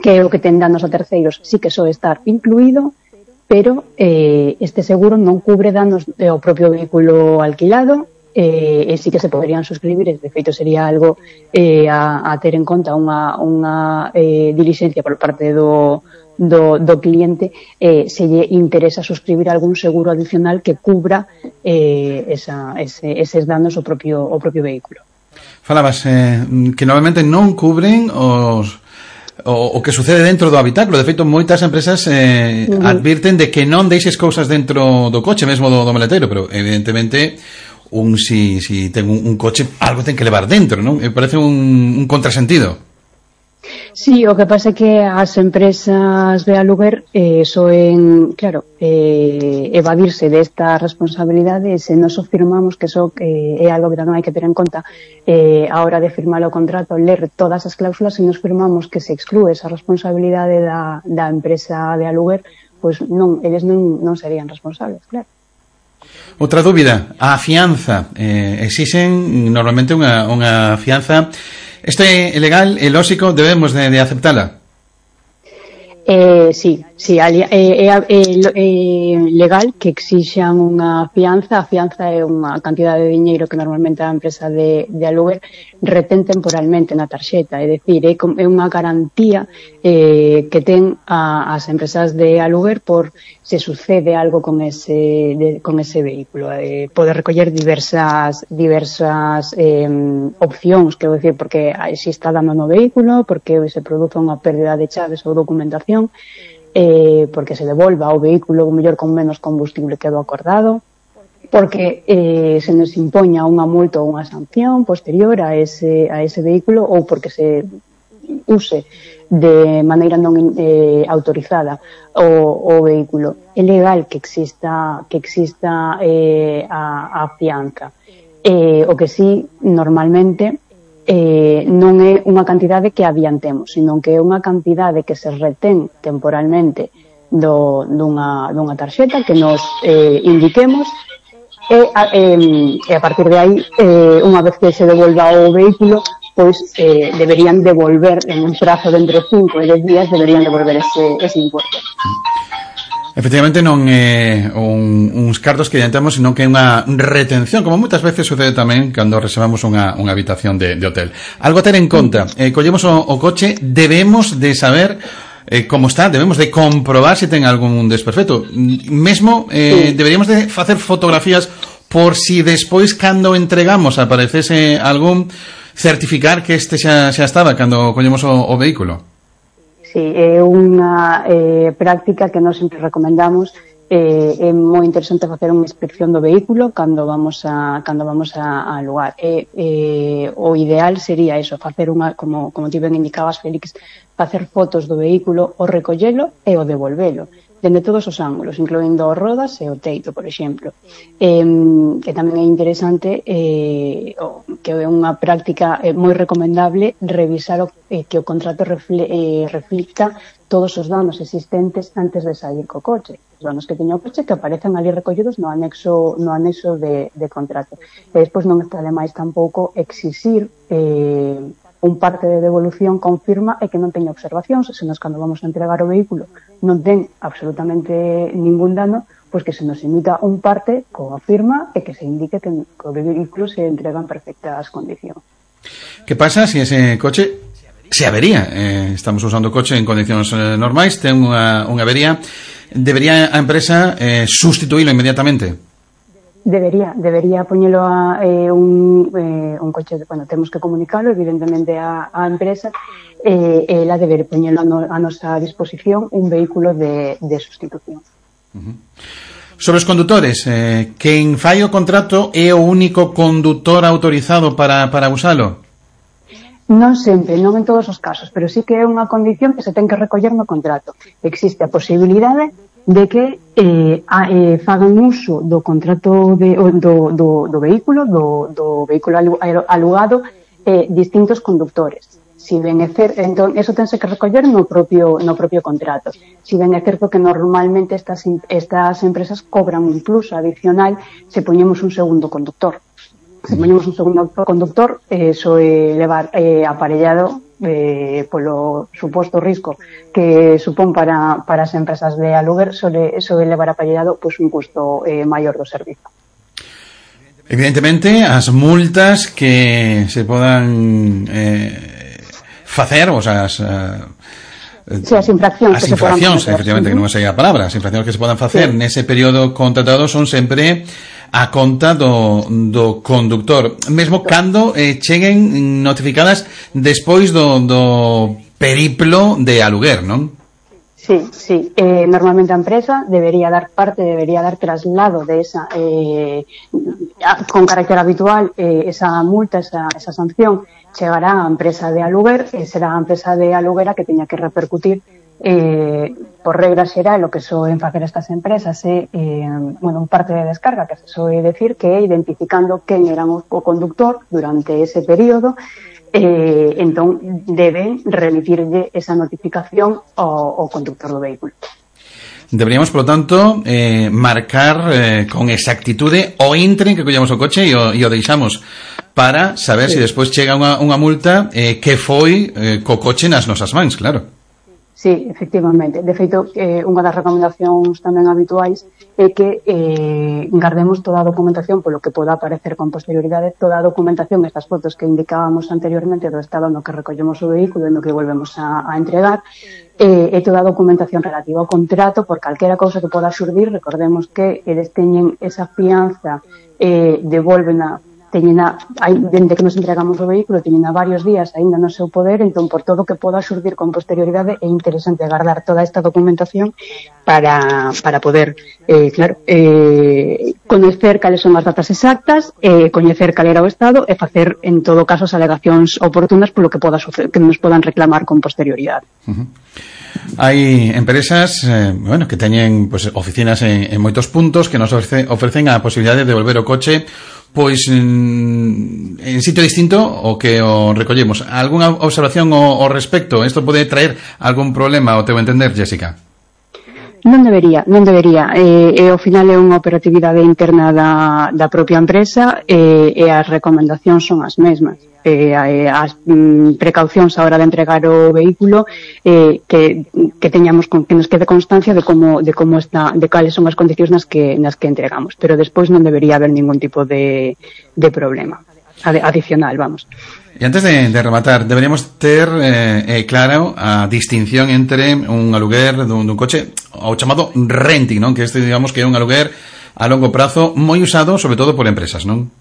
que é o que ten danos a terceiros, sí que soe estar incluído, pero eh, este seguro non cubre danos ao propio vehículo alquilado, eh, e sí que se poderían suscribir, e de feito sería algo eh, a, a ter en conta unha, unha eh, diligencia por parte do Do, do cliente, eh, se lle interesa suscribir algún seguro adicional que cubra eh, esa, ese, eses danos ao propio, ao propio vehículo. Falabas eh, que normalmente non cubren os o, o que sucede dentro do habitáculo. De feito, moitas empresas eh, uh-huh. advirten de que non deixes cousas dentro do coche, mesmo do, do maleteiro, pero evidentemente un si, si ten un, un coche, algo ten que levar dentro, non? Me parece un, un contrasentido. Sí, o que pasa é que as empresas de aluguer eh, soen, claro, eh, evadirse desta responsabilidade, se nos firmamos que eso eh, é algo que tamén hai que ter en conta eh, a hora de firmar o contrato, ler todas as cláusulas, se nos firmamos que se exclúe esa responsabilidade da, da empresa de aluguer, pois pues non, eles non, non serían responsables, claro. Outra dúbida, a fianza, eh, exixen normalmente unha, unha fianza. Isto é legal, é lóxico, debemos de, de aceptala? Eh, sí, sí, é, é, é, é legal que exixan unha fianza. A fianza é unha cantidade de diñeiro que normalmente a empresa de, de aluguer retén temporalmente na tarxeta, é dicir, é, é unha garantía eh, que ten a, as empresas de aluguer por se sucede algo con ese, de, con ese vehículo. Eh, pode recoller diversas diversas eh, opcións, quero dicir, porque se está dando no vehículo, porque se produce unha pérdida de chaves ou documentación, eh, porque se devolva o vehículo o mellor con menos combustible que do acordado, porque eh, se nos impoña unha multa ou unha sanción posterior a ese, a ese vehículo, ou porque se use de maneira non eh, autorizada o, o vehículo. É legal que exista que exista eh, a, a fianza. Eh, o que sí, normalmente, eh, non é unha cantidade que adiantemos, sino que é unha cantidade que se retén temporalmente do, dunha, dunha tarxeta que nos eh, indiquemos, e a, eh, e a partir de aí, eh, unha vez que se devolva o vehículo, pois eh, deberían devolver en un prazo de entre cinco e dez días, deberían devolver ese, ese importe. Efectivamente non é un, uns cartos que adiantamos, sino que é unha retención, como moitas veces sucede tamén cando reservamos unha, unha habitación de, de hotel. Algo a ter en conta, eh, collemos o, o coche, debemos de saber eh, como está, debemos de comprobar se ten algún desperfecto. Mesmo eh, sí. deberíamos de facer fotografías por si despois cando entregamos aparecese algún, certificar que este xa, xa estaba cando collemos o, o vehículo. Sí, é unha eh, práctica que nós sempre recomendamos. Eh, é moi interesante facer unha inspección do vehículo cando vamos a cando vamos a, a lugar. E, eh, o ideal sería eso, facer unha, como, como ti ben indicabas, Félix, facer fotos do vehículo, o recollelo e o devolvelo, dende todos os ángulos, incluindo as rodas e o teito, por exemplo. Eh, que tamén é interesante, eh, que é unha práctica eh, moi recomendable, revisar o, eh, que o contrato refle, eh, reflicta todos os danos existentes antes de sair co coche. Os danos que teña o coche que aparecen ali recollidos no anexo, no anexo de, de contrato. E despois non está de máis tampouco exixir eh, un parte de devolución con firma e que non teña observacións, se nos cando vamos a entregar o vehículo non ten absolutamente ningún dano, pois que se nos emita un parte con a firma e que se indique que o vehículo se entrega en perfectas condicións. Que pasa se ese coche se avería? Eh, estamos usando o coche en condicións eh, normais, ten unha, unha avería. debería a empresa eh, sustituílo inmediatamente? Debería, debería poñelo a eh, un, eh, un coche, bueno, temos que comunicarlo evidentemente a, a empresa, e eh, ela debería poñelo a, no, a nosa disposición un vehículo de, de sustitución. Uh-huh. Sobre os condutores, eh, quen fai o contrato é o único condutor autorizado para, para usalo? Non sempre, non en todos os casos, pero sí que é unha condición que se ten que recoller no contrato. Existe a posibilidade de que eh, a, eh, fagan uso do contrato de, do, do, do vehículo, do, do vehículo alugado, eh, distintos conductores. Si ben é certo, entón, eso tense que recoller no propio, no propio contrato. Si ben é certo que normalmente estas, estas empresas cobran un plus adicional se poñemos un segundo conductor. Se poñemos un segundo conductor, eh, eso é levar eh, aparellado eh, polo suposto risco que supón para, para as empresas de aluguer, sobre, sobre levar aparellado pues, un custo eh, maior do servizo. Evidentemente, as multas que se podan eh, facer, o sea, as, uh, sí, as infraccións as que infraccións, se podan facer. efectivamente, que non é a palabra, as infraccións que se podan facer sí. nese período contratado son sempre a conta do, do conductor, mesmo cando eh, cheguen notificadas despois do, do periplo de aluguer, non? Sí, sí. Eh, normalmente a empresa debería dar parte, debería dar traslado de esa, eh, con carácter habitual, eh, esa multa, esa, esa sanción, chegará a empresa de aluguer e será a empresa de aluguer a que teña que repercutir eh, por regla xeral o que soen facer estas empresas é eh, bueno, un parte de descarga que se soe decir que é identificando quen era o conductor durante ese período eh, entón deben remitirlle esa notificación ao, ao conductor do vehículo. Deberíamos, por lo tanto, eh, marcar eh, con exactitude o intre en que collamos o coche e o, e o deixamos para saber sí. se despois chega unha, unha multa eh, que foi eh, co coche nas nosas mans, claro. Sí, efectivamente. De feito, eh, unha das recomendacións tamén habituais é que eh, guardemos toda a documentación polo que poda aparecer con posterioridade, toda a documentación, estas fotos que indicábamos anteriormente do estado no que recollemos o vehículo e no que volvemos a, a entregar, eh, e toda a documentación relativa ao contrato por calquera cousa que poda xurdir. Recordemos que eles teñen esa fianza, eh, devolvena teñena, dende que nos entregamos o vehículo, teñena varios días aínda no seu poder, entón por todo que poda xurdir con posterioridade é interesante guardar toda esta documentación para, para poder eh, claro, eh, coñecer cales son as datas exactas, eh, coñecer cal era o estado e facer en todo caso as alegacións oportunas polo que poda suceder, que nos podan reclamar con posterioridade. Uh-huh. Hai empresas eh, bueno, que teñen pues, oficinas en, en moitos puntos que nos ofrece, ofrecen a posibilidade de devolver o coche pois en, en sitio distinto o que o recollemos. Algúna observación ao, ao respecto? Isto pode traer algún problema ao teu entender, Jessica? Non debería, non debería. Eh, e ao final é unha operatividade interna da, da propia empresa e, e as recomendacións son as mesmas. Eh, as mm, precaucións a hora de entregar o vehículo eh, que, que teñamos con, que nos quede constancia de como, de como está, de cales son as condicións nas que, nas que entregamos, pero despois non debería haber ningún tipo de, de problema adicional, vamos. E antes de, de rematar, deberíamos ter eh, eh, claro a distinción entre un aluguer dun, dun coche o chamado renting, non? Que este, digamos, que é un aluguer a longo prazo moi usado, sobre todo por empresas, non?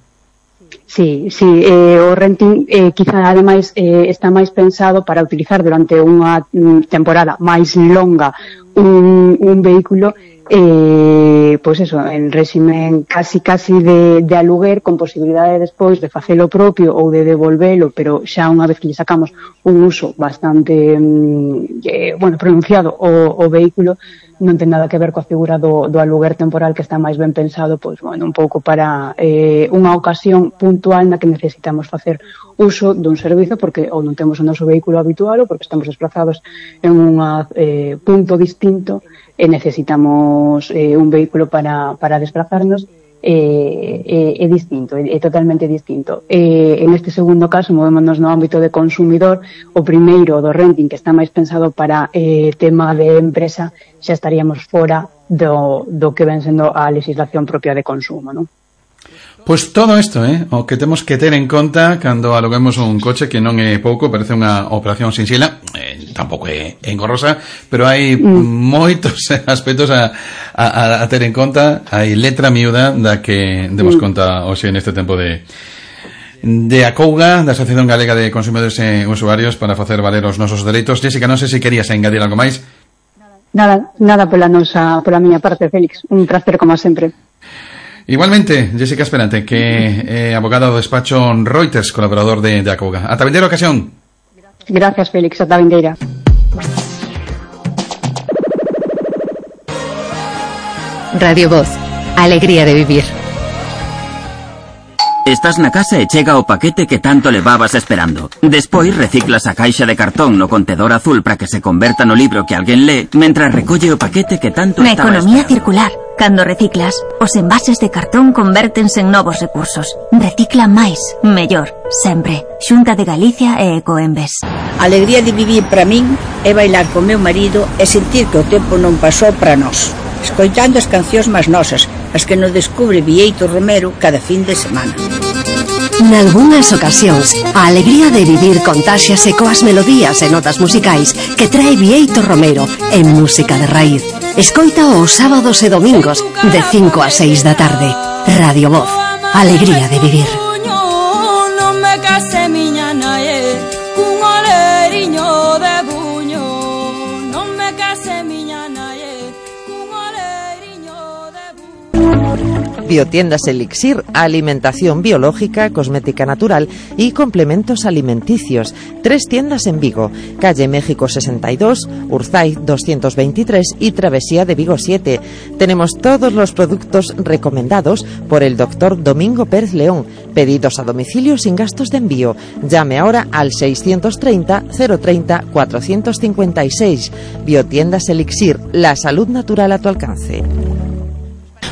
Sí, sí, eh, o renting eh, quizá ademais eh, está máis pensado para utilizar durante unha temporada máis longa un, un vehículo eh, pois eso, en réximen casi casi de, de aluguer con posibilidade despois de facelo propio ou de devolvelo, pero xa unha vez que lle sacamos un uso bastante eh, bueno, pronunciado o, o vehículo, non ten nada que ver coa figura do, do aluguer temporal que está máis ben pensado, pois, bueno, un pouco para eh, unha ocasión puntual na que necesitamos facer uso dun servizo porque ou non temos o noso vehículo habitual ou porque estamos desplazados en un eh, punto distinto e necesitamos eh, un vehículo para, para desplazarnos. É, é, é distinto, é, é totalmente distinto. E, en este segundo caso, movémonos no ámbito de consumidor. O primeiro, do renting, que está máis pensado para eh, tema de empresa, xa estaríamos fora do, do que ven sendo a legislación propia de consumo, non? Pois todo isto, eh, o que temos que ter en conta cando aluguemos un coche, que non é pouco, parece unha operación sinxela, eh, tampouco é engorrosa, pero hai mm. moitos aspectos a, a, a ter en conta. Hai letra miúda da que demos mm. conta hoxe neste tempo de de Acouga, da Asociación Galega de Consumidores e Usuarios, para facer valer os nosos dereitos. Jessica, non sei se querías engadir algo máis. Nada, nada pola nosa, pola miña parte, Félix. Un placer como sempre. Igualmente, Jessica Esperante, que é abogada do despacho Reuters, colaborador de, de Acouga. Ata vindeira ocasión. Gracias, Félix. Ata vindeira. Radio Voz. Alegría de vivir. Estás na casa e chega o paquete que tanto levabas esperando. Despois reciclas a caixa de cartón no contedor azul para que se converta no libro que alguén lee, mentras recolle o paquete que tanto Na estaba economía esperando. circular, cando reciclas, os envases de cartón convértense en novos recursos. Recicla máis, mellor, sempre. Xunta de Galicia e Ecoembes. A alegría de vivir para min é bailar co meu marido e sentir que o tempo non pasou para nós, escoitando as cancións máis nosas, as que nos descubre Vieito Romero cada fin de semana. Nalgúnas ocasións, a alegría de vivir contáxiase coas melodías e notas musicais que trae Vieito Romero en música de raíz. Escoita os sábados e domingos de cinco a seis da tarde. Radio Voz, alegría de vivir. Non me case miña nae cun oleriño de buño. Non me case miña nae cun oleriño de buño. Biotiendas Elixir, alimentación biológica, cosmética natural y complementos alimenticios. Tres tiendas en Vigo, calle México sesenta y dos, Urzay doscientos veintitrés y Travesía de Vigo siete. Tenemos todos los productos recomendados por el doctor Domingo Pérez León. Pedidos a domicilio sin gastos de envío. Llame ahora al seiscientos treinta, cero treinta, cuatrocientos cincuenta y seis. Biotiendas Elixir, la salud natural a tu alcance.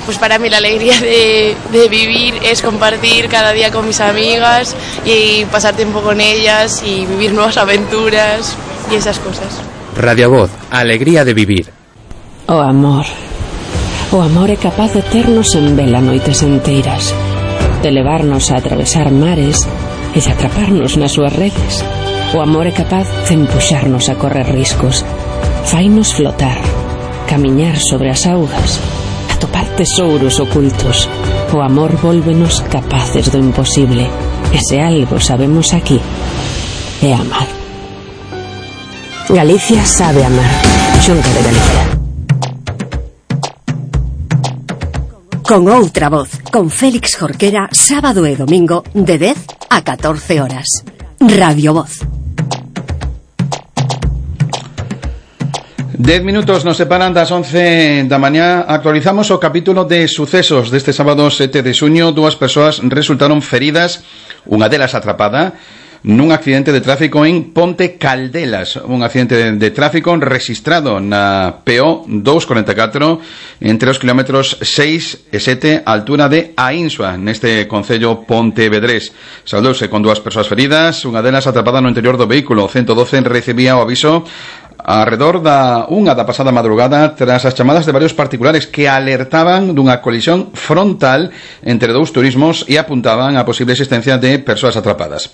Pues para mí la alegría de, de vivir es compartir cada día con mis amigas y pasar tiempo con ellas y vivir nuevas aventuras y esas cosas. Radio Voz, alegría de vivir. O amor. O amor é capaz de ternos en vela noites enteiras, de levarnos a atravesar mares e de atraparnos nas súas redes. O amor é capaz de empuxarnos a correr riscos, fainos flotar, camiñar sobre as augas, atopar tesouros ocultos. O amor vólvenos capaces do imposible. E se algo sabemos aquí, é amar. Galicia sabe amar. Xunta de Galicia. Con outra voz, con Félix Jorquera, sábado e domingo de dez a catorce horas. Radio Voz. Dez minutos nos separan das once da mañá. Actualizamos o capítulo de sucesos deste sábado sete de xuño. Dúas persoas resultaron feridas, unha delas atrapada nun accidente de tráfico en Ponte Caldelas, un accidente de, de tráfico registrado na P O doscientos cuarenta e catro entre os kilómetros seis e sete a altura de Ainsua, neste concello pontevedrés. Saudouse con dúas persoas feridas, unha delas atrapada no interior do vehículo. O ciento doce recibía o aviso arredor da unha da pasada madrugada tras as chamadas de varios particulares que alertaban dunha colisión frontal entre dous turismos e apuntaban a posible existencia de persoas atrapadas.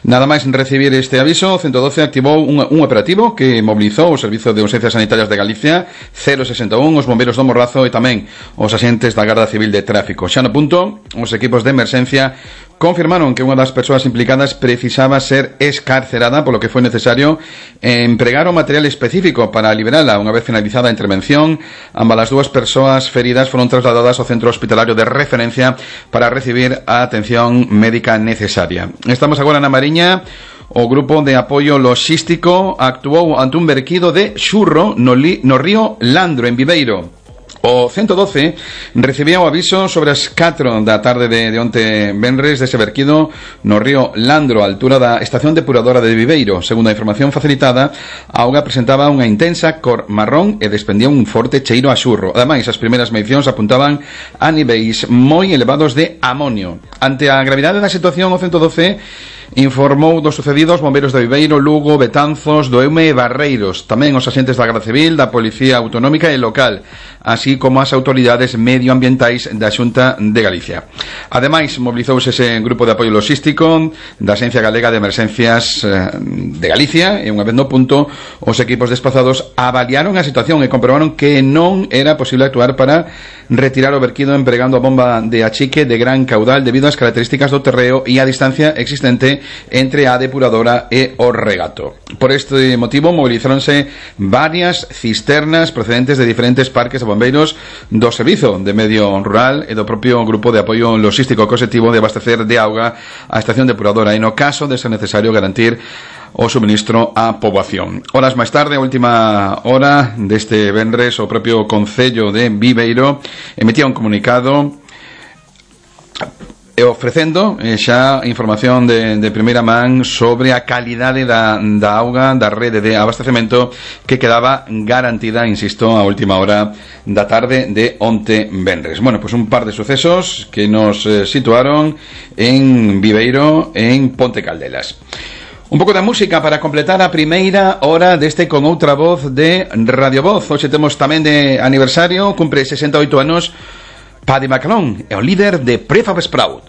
Nada máis recibir este aviso, o ciento doce activou un, un operativo que mobilizou o Servizo de Urxencias Sanitarias de Galicia, cero sesenta e un, os bombeiros do Morrazo e tamén os axentes da Garda Civil de Tráfico. Xa no punto, os equipos de emerxencia confirmaron que unha das persoas implicadas precisaba ser escarcerada, polo que foi necesario empregar o material específico para liberala. Unha vez finalizada a intervención, ambas as dúas persoas feridas foron trasladadas ao centro hospitalario de referencia para recibir a atención médica necesaria. Estamos agora na Mariña. O grupo de apoio logístico actuou ante un verquido de xurro no, li, no río Landro, en Viveiro. O ciento doce recibía o aviso sobre as catro da tarde de, de onte venres dese verquido no río Landro, a altura da estación depuradora de Viveiro. Segundo a información facilitada, a auga presentaba unha intensa cor marrón e despendía un forte cheiro a xurro. Ademais, as primeiras medicións apuntaban a niveis moi elevados de amonio. Ante a gravidade da situación, o ciento doce informou dos sucedidos bombeiros de Viveiro, Lugo, Betanzos, do Eume e Barreiros, tamén os axentes da Garda Civil, da Policía Autonómica e local, así como as autoridades medioambientais da Xunta de Galicia. Ademais, mobilizouse ese grupo de apoio logístico da Axencia Galega de Emerxencias de Galicia, e unha vez no punto, os equipos desplazados avaliaron a situación e comprobaron que non era posible actuar para retirar o verquido empregando a bomba de achique de gran caudal debido ás características do terreo e a distancia existente entre a depuradora e o regato. Por este motivo movilizáronse varias cisternas procedentes de diferentes parques de bombeiros do Servizo de Medio Rural e do propio grupo de apoio logístico co obxectivo de abastecer de auga a estación depuradora e no caso de ser necesario garantir o suministro á poboación. Horas máis tarde, a última hora deste venres, o propio Concello de Viveiro emitía un comunicado e ofrecendo eh, xa información de, de primeira man sobre a calidade da, da auga da rede de abastecemento que quedaba garantida, insisto, a última hora da tarde de onte venres. Bueno, pues un par de sucesos que nos eh, situaron en Viveiro, en Ponte Caldelas. Un pouco da música para completar a primeira hora deste Con Outra Voz de Radio Voz. Hoxe temos tamén de aniversario, cumpre sesenta e oito anos Paddy McAlone, é o líder de Prefab Sprout.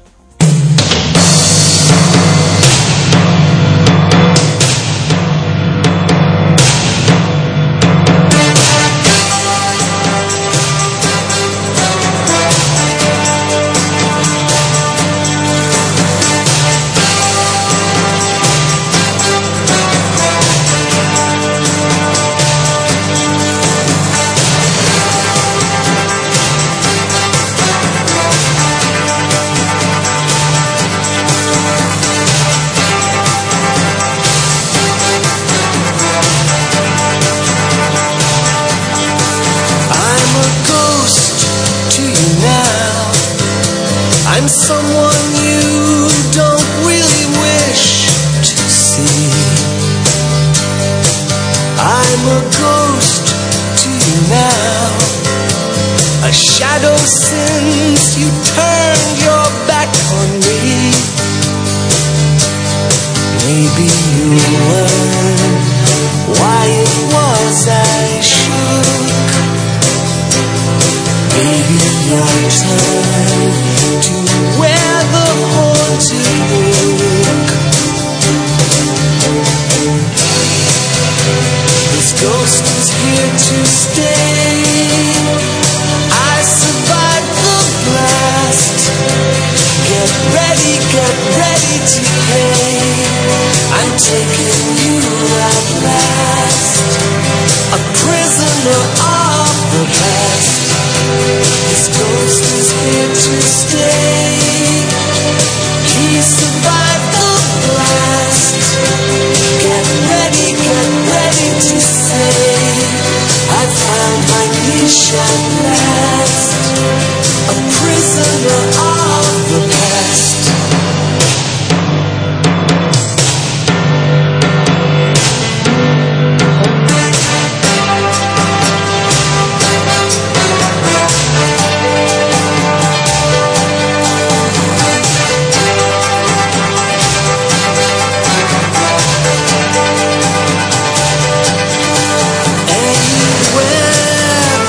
Anywhere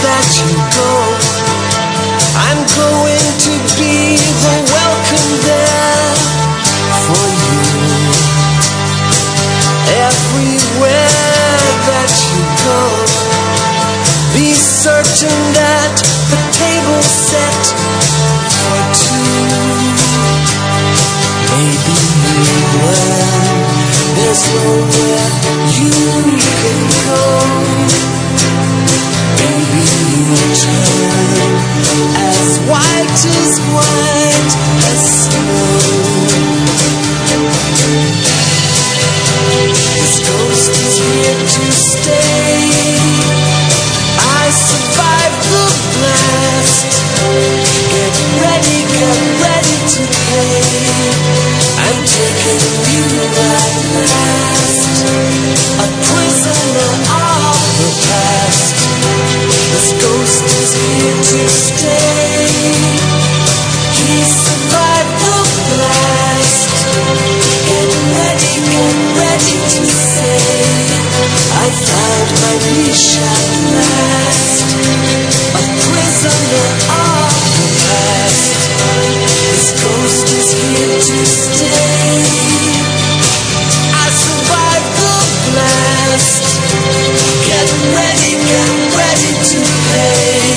that you go, unleash at last a prisoner of the past. This ghost is here to stay. I survived the blast. Get ready, get ready to pay.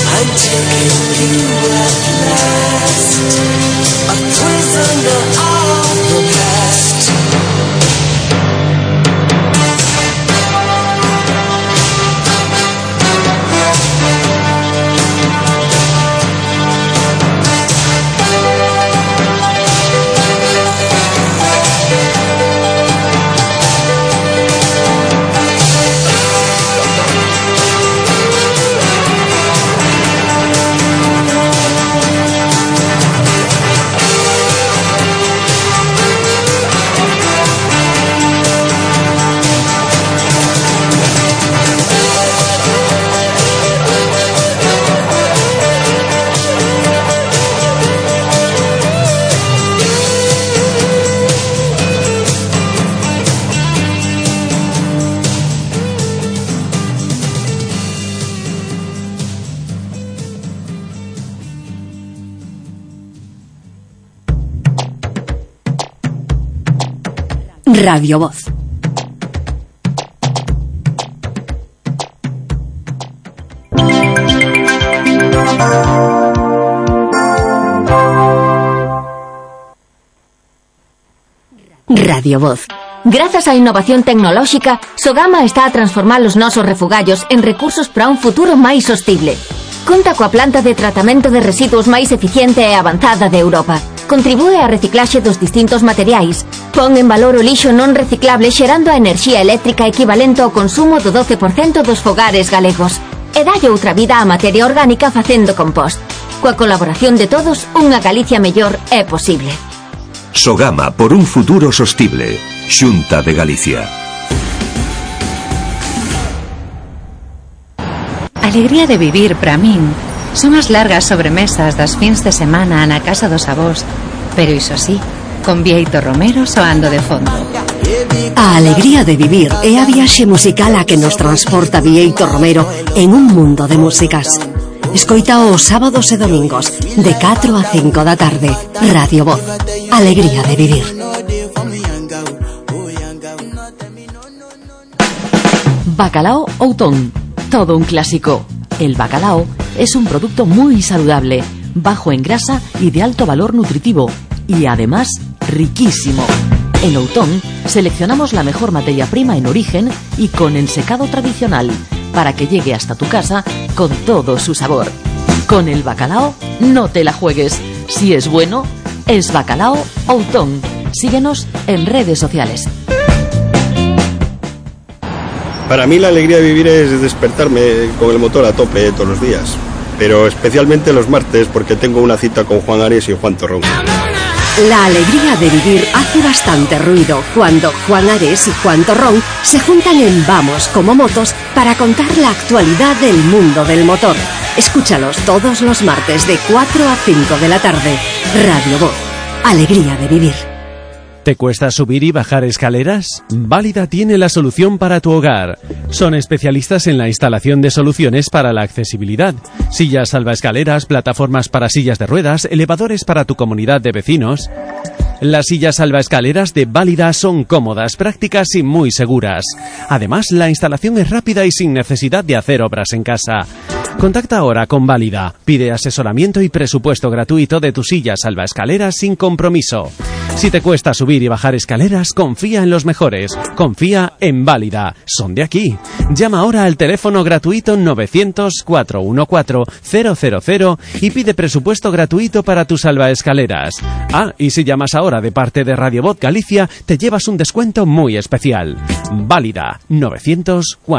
I'm taking you at last, a prisoner of the past. Radio Voz. Radio Voz. Grazas á innovación tecnolóxica, Sogama está a transformar os nosos refugallos en recursos para un futuro máis sostible. Conta coa planta de tratamento de residuos máis eficiente e avanzada de Europa. Contribúe á reciclaxe dos distintos materiais. Pon en valor o lixo non reciclable xerando a enerxía eléctrica equivalente ao consumo do doce por cento dos fogares galegos. E dalle outra vida á materia orgánica facendo compost. Coa colaboración de todos, unha Galicia mellor é posible. Sogama por un futuro sostible. Xunta de Galicia. Alegría de vivir para min son as largas sobremesas das fins de semana na casa dos avós, pero iso sí, con Bieito Romero soando de fondo. A alegría de vivir é a viaxe musical a que nos transporta Bieito Romero en un mundo de músicas. Escoita os sábados e domingos de catro a cinco da tarde. Radio Voz. Alegría de vivir. Bacalao Outón. Todo un clásico. El bacalao es un producto muy saludable, bajo en grasa y de alto valor nutritivo, y además riquísimo. En Outón seleccionamos la mejor materia prima en origen y con ensecado tradicional, para que llegue hasta tu casa con todo su sabor. Con el bacalao no te la juegues. Si es bueno, es Bacalao Outón. Síguenos en redes sociales. Para mí la alegría de vivir es despertarme con el motor a tope todos los días, pero especialmente los martes porque tengo una cita con Juan Ares y Juan Torrón. La alegría de vivir hace bastante ruido cuando Juan Ares y Juan Torrón se juntan en Vamos como Motos para contar la actualidad del mundo del motor. Escúchalos todos los martes de cuatro a cinco de la tarde. Radio Voz. Alegría de vivir. ¿Te cuesta subir y bajar escaleras? Válida tiene la solución para tu hogar. Son especialistas en la instalación de soluciones para la accesibilidad. Sillas salvaescaleras, plataformas para sillas de ruedas, elevadores para tu comunidad de vecinos. Las sillas salvaescaleras de Válida son cómodas, prácticas y muy seguras. Además, la instalación es rápida y sin necesidad de hacer obras en casa. Contacta ahora con Válida. Pide asesoramiento y presupuesto gratuito de tu silla salvaescaleras sin compromiso. Si te cuesta subir y bajar escaleras, confía en los mejores. Confía en Válida. Son de aquí. Llama ahora al teléfono gratuito novecientos, cuatrocientos catorce, cero cero cero y pide presupuesto gratuito para tus salvaescaleras. Ah, y si llamas ahora de parte de Radio Voz Galicia, te llevas un descuento muy especial. Válida. novecientos, cuatrocientos